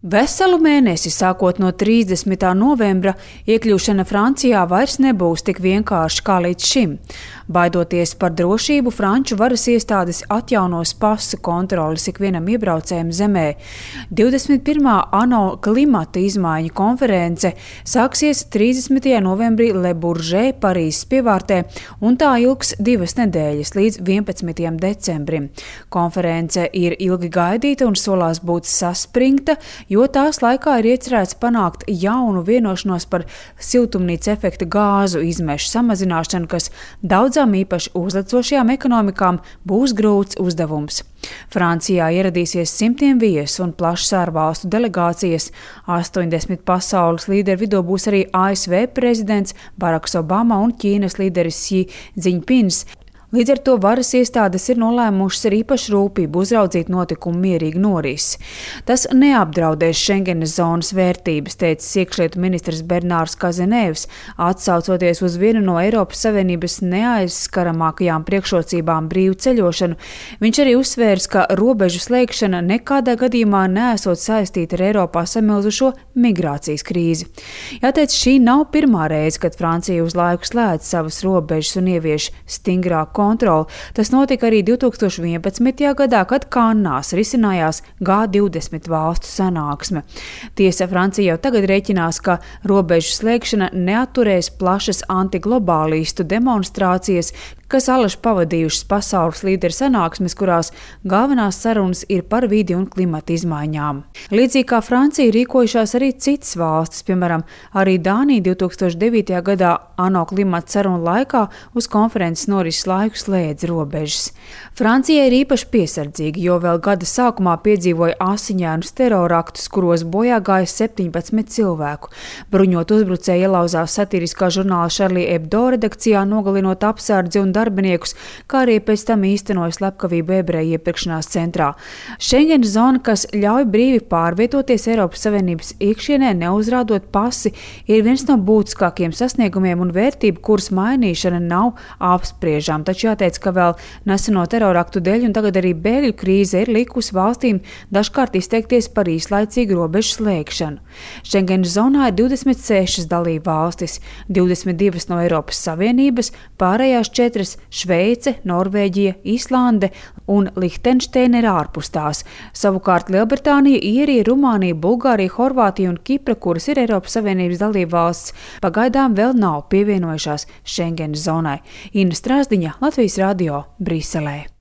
Veselu mēnesi, sākot no 30. novembra, iekļūšana Francijā vairs nebūs tik vienkārši kā līdz šim. Baidoties par drošību, franču varas iestādes atjaunos pasu kontroles ikvienam iebraucējam zemē. 21. ANO klimata izmaiņu konference sāksies 30. novembrī Le Bourget, Parīzes pievārtē, un tā ilgs 2 nedēļas līdz 11. decembrim. Konference ir ilgi gaidīta un solās būt saspringta, jo tās laikā ir iecerēts panākt jaunu vienošanos par siltumnīca efekta gāzu izmešu samazināšanu, kas daudzām īpaši uzlecošajām ekonomikām būs grūts uzdevums. Francijā ieradīsies simtiem viesu un plašas ārvalstu delegācijas. 80 pasaules līderu vidū būs arī ASV prezidents Baraks Obama un Ķīnas līderis Xi Jinpings. Līdz ar to varas iestādes ir nolēmušas ar īpašu rūpību uzraudzīt notikumu mierīgu norisi. Tas neapdraudēs Schengenes zonas vērtības, teicis iekšlietu ministrs Bernārs Kazenēvs, atsaucoties uz vienu no Eiropas Savienības neaizskaramākajām priekšrocībām brīvu ceļošanu. Viņš arī uzsvērs, ka robežu slēgšana nekādā gadījumā neesot saistīta ar Eiropā samilzušo migrācijas krīzi. Jāteic, šī nav pirmā reize, kad Francija uz laiku slēdz savas robežas un ievieš stingrāku kontroli. Tas notika arī 2011. gadā, kad Kannās risinājās G20 valstu sanāksme. Tiesa, Francija jau tagad rēķinās, ka robežu slēgšana neatturēs plašas antiglobālistu demonstrācijas, kas alaši pavadījušas pasaules līderu sanāksmes, kurās galvenās sarunas ir par vidi un klimata izmaiņām. Līdzīgi kā Francija rīkojušās arī citas valstis, piemēram, arī Dānija 2009. gadā ANO klimata sarunu laikā uz konferences norises laiku slēdz robežas. Francija ir īpaši piesardzīga, jo vēl gada sākumā piedzīvoja asiņainus teroraktus, kuros bojā gāja 17 cilvēku. Bruņot uzbrucēji ielauzās satiriskā žurnāla Charlie Hebdo redakcijā, nogalinot apsardzi un darbiniekus, kā arī pēc tam īstenoja slepkavību ebreju iepirkšanās centrā. Schengenes zona, kas ļauj brīvi pārvietoties Eiropas Savienības iekšienē, neuzrādot pasi, ir viens no būtiskākiem sasniegumiem un vērtību, kuras mainīšana nav apspriežama. Taču jāteic, ka vēl neseno teroraktu dēļ un tagad arī bēgļu krīze ir likusi valstīm dažkārt izteikties par īslaicīgu robežu slēgšanu. Schengenes zonā ir 26 dalību valstis, 22 no Eiropas Savienības, pārējās 4 Šveice, Norvēģija, Islande un Lihtenšteina ir ārpus tās. Savukārt Lielbritānija, Īrija, Rumānija, Bulgārija, Horvātija un Kipra, kuras ir Eiropas Savienības dalībvalstis, pagaidām vēl nav pievienojušās Schengenes zonai. Inna Strāzdiņa, Latvijas radio, Briselē.